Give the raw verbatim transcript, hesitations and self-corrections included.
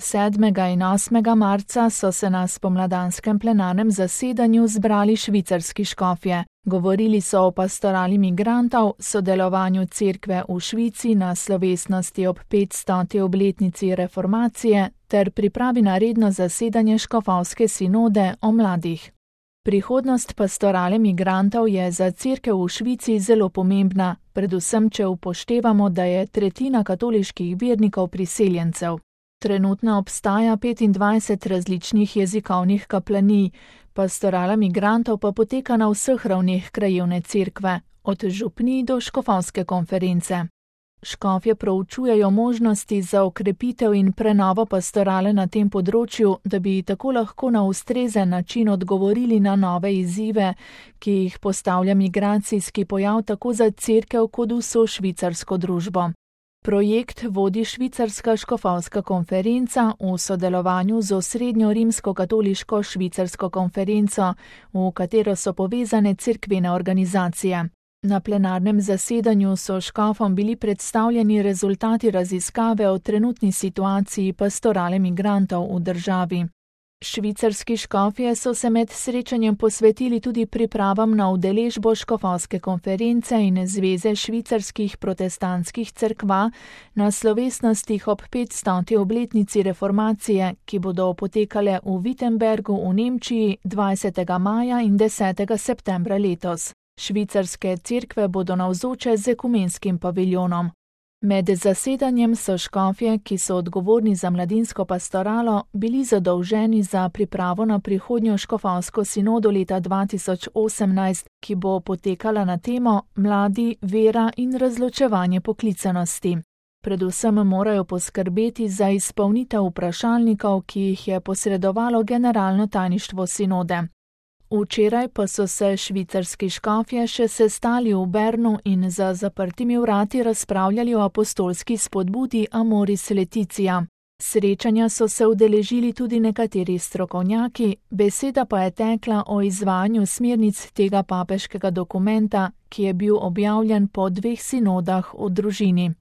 sedmega in osmega marca so se na spomladanskem plenarnem zasedanju zbrali švicarski škofje. Govorili so o pastorali migrantov, sodelovanju cerkve v Švici na slovesnosti ob petstoti obletnici reformacije ter pripravi na redno zasedanje škofovske sinode o mladih. Prihodnost pastorale migrantov je za cerkev v Švici zelo pomembna, predvsem če upoštevamo, da je tretjina katoliških vernikov priseljencev. Trenutno obstaja petindvajset različnih jezikovnih kaplanij, pastorala migrantov pa poteka na vseh ravneh krajevne cerkve, od župnij do škofovske konference. Škofje proučujejo možnosti za okrepitev in prenovo pastorale na tem področju, da bi tako lahko na ustrezen način odgovorili na nove izzive, ki jih postavlja migracijski pojav tako za cerkev kot vso švicarsko družbo. Projekt vodi švicarska škofovska konferenca v sodelovanju z osrednjo rimsko-katoliško švicarsko konferenco, v katero so povezane cerkvene organizacije. Na plenarnem zasedanju so škofom bili predstavljeni rezultati raziskave o trenutni situaciji pastorale migrantov v državi. Švicarski škofje so se med srečanjem posvetili tudi pripravam na udeležbo škofovske konference in Zveze švicarskih protestantskih cerkva na slovesnostih ob petstoti obletnici reformacije, ki bodo potekale v Wittenbergu v Nemčiji dvajsetega maja in desetega septembra letos. Švicarske cerkve bodo navzoče z ekumenskim paviljonom. Med zasedanjem so škofje, ki so odgovorni za mladinsko pastoralo, bili zadolženi za pripravo na prihodnjo škofovsko sinodo leta dva tisoč osemnajst, ki bo potekala na temo Mladi, vera in razločevanje poklicanosti. Predvsem morajo poskrbeti za izpolnitev vprašalnikov, ki jih je posredovalo generalno tajništvo sinode. Včeraj pa so se švicarski škofje še sestali v Bernu in za zaprtimi vrati razpravljali o apostolski spodbudi Amoris Laetitia. Srečanja so se udeležili tudi nekateri strokovnjaki, beseda pa je tekla o izvajanju smernic tega papeškega dokumenta, ki je bil objavljen po dveh sinodah o družini.